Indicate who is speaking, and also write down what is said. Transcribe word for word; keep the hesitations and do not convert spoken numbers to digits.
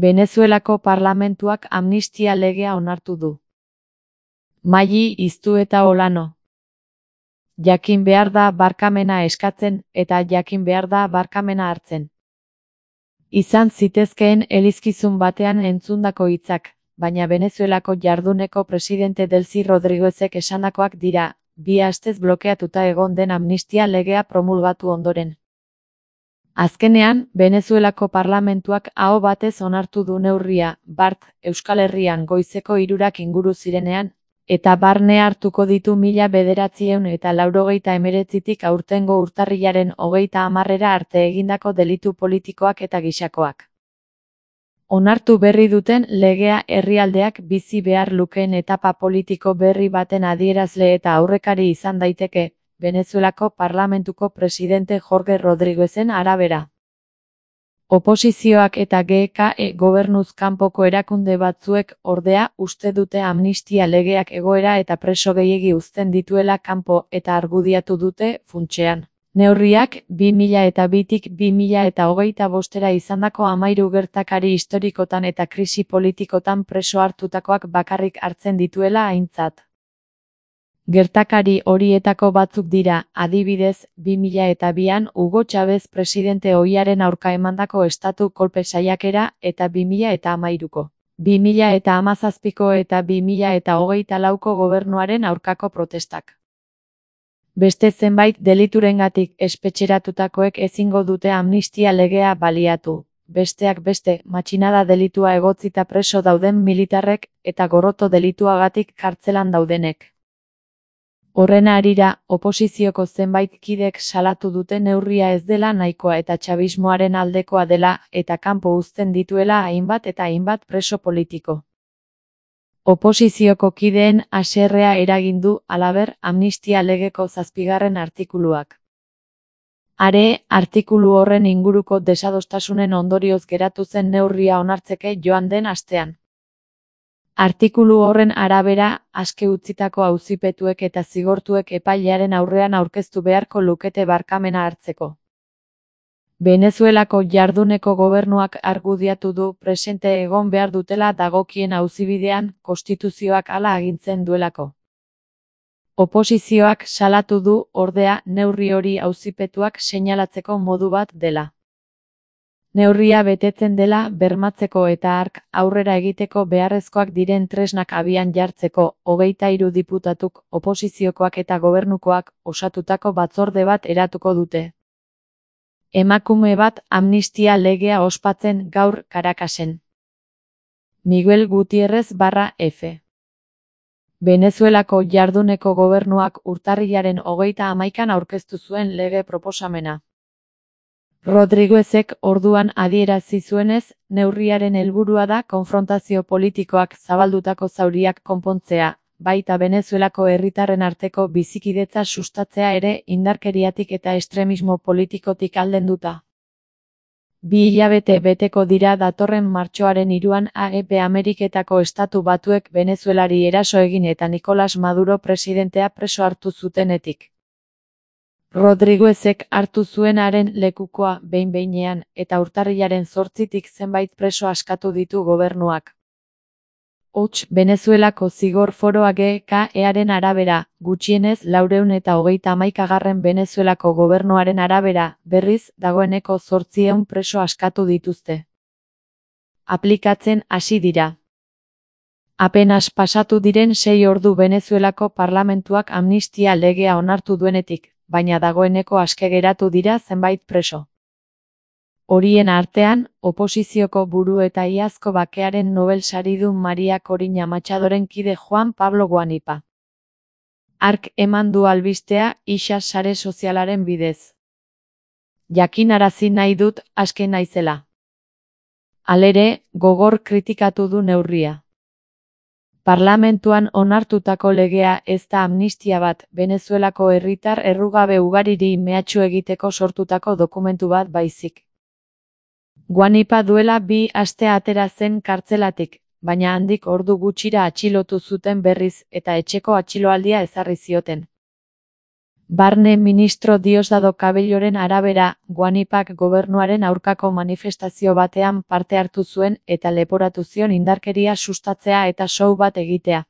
Speaker 1: Venezuelako parlamentuak amnistia legea onartu du. Maili Iztueta Olano. Jakin behar da barkamena eskatzen eta jakin behar da barkamena hartzen. Izan zitezkeen elizkizun batean entzundako hitzak, baina Venezuelako jarduneko presidente Delcy Rodríguezek esandakoak dira, bi astez blokeatuta egon den amnistia legea promulgatu ondoren. Azkenean, Venezuelako parlamentuak aho batez onartu du neurria, bart, Euskal Herrian goizeko hirurak inguru zirenean, eta barne hartuko ditu mila bederatziehun eta laurogeita hemeretzitik aurtengo urtarrilaren hogeita hamarrera arte egindako delitu politikoak eta gisakoak. Onartu berri duten legea herrialdeak bizi behar lukeen etapa politiko berri baten adierazle eta aurrekari izan daiteke, Venezuelako parlamentuko presidente Jorge Rodríguezen arabera. Oposizioak eta G K E gobernuz kanpoko erakunde batzuek ordea uste dute amnistia legeak egoera eta preso gehiegi uzten dituela kanpo eta argudiatu dute, funtsean. Neurriak, bi mila eta bitik bi mila eta hogeita bostera izandako hamahiru gertakari historikotan eta krisi politikotan preso hartutakoak bakarrik hartzen dituela aintzat. Gertakari horietako batzuk dira, adibidez, bi mila eta bian Hugo Chávez presidente ohiaren aurka emandako estatu kolpe saiakera eta bi mila eta hamairuko. bi mila eta hamazazpiko eta bi mila eta hogeita lauko gobernuaren aurkako protestak. Beste zenbait deliturengatik espetxeratutakoek ezingo dute amnistia legea baliatu. Besteak beste, matxinada delitua egotzita preso dauden militarrek eta gorroto delituagatik kartzelan daudenek. Horren harira, oposizioko zenbait kidek salatu dute neurria ez dela nahikoa eta txabismoaren aldekoa dela eta kanpo uzten dituela hainbat eta hainbat preso politiko. Oposizioko kideen haserrea eragin du, halaber, amnistia legeko zazpigarren artikuluak. Are, artikulu horren inguruko desadostasunen ondorioz geratu zen neurria onartzeke joan den astean. Artikulu horren arabera, aske utzitako auzipetuek eta zigortuek epailearen aurrean aurkeztu beharko lukete barkamena hartzeko. Venezuelako jarduneko gobernuak argudiatu du presente egon behar dutela dagokien auzibidean, konstituzioak hala agintzen duelako. Oposizioak salatu du, ordea, neurri hori auzipetuak seinalatzeko modu bat dela. Neurria betetzen dela bermatzeko eta hark aurrera egiteko beharrezkoak diren tresnak abian jartzeko, hogeita hiru diputatuk, oposiziokoak eta gobernukoak, osatutako batzorde bat eratuko dute. Emakume bat amnistia legea ospatzen gaur Caracasen. Miguel Gutiérrez barra F. Venezuelako jarduneko gobernuak urtarrilaren hogeita hamaikan aurkeztu zuen lege proposamena. Rodríguezek orduan adierazi zuenez, neurriaren helburua da konfrontazio politikoak zabaldutako zauriak konpontzea, baita Venezuelako herritarren arteko bizikidetza sustatzea ere indarkeriatik eta estremismo politikotik aldenduta. Bi hilabete beteko dira datorren martxoaren hiruan A E P Ameriketako Estatu Batuek Venezuelari eraso egin eta Nicolás Maduro presidentea preso hartu zutenetik. Rodríguezek hartu zuenaren lekukoa behin-behinean eta urtarrilaren zortzitik zenbait preso askatu ditu gobernuak. Hots, Venezuelako zigor foroa G K E-aren arabera, gutxienez laurehun eta hogeita hamaikagarren Venezuelako gobernuaren arabera, berriz, dagoeneko zortziehun preso askatu dituzte. Aplikatzen hasi dira. Apenas pasatu diren sei ordu Venezuelako parlamentuak amnistia legea onartu duenetik, baina dagoeneko aske geratu dira zenbait preso. Horien artean, oposizioko buru eta iazko bakearen Nobel saridun Maria Corina Machadoren kide Juan Pablo Guanipa. Hark eman du albistea isa sare sozialaren bidez. Jakinarazi nahi dut aske naizela. Halere, gogor kritikatu du neurria. Parlamentuan onartutako legea ez da amnistia bat, Venezuelako herritar errugabe ugariri mehatxu egiteko sortutako dokumentu bat baizik. Guanipa duela bi aste atera zen kartzelatik, baina handik ordu gutxira atxilotu zuten berriz eta etxeko atxiloaldia ezarri zioten. Barne ministro Diosdado Cabelloren arabera, Guanipak gobernuaren aurkako manifestazio batean parte hartu zuen eta leporatu zion indarkeria sustatzea eta show bat egitea.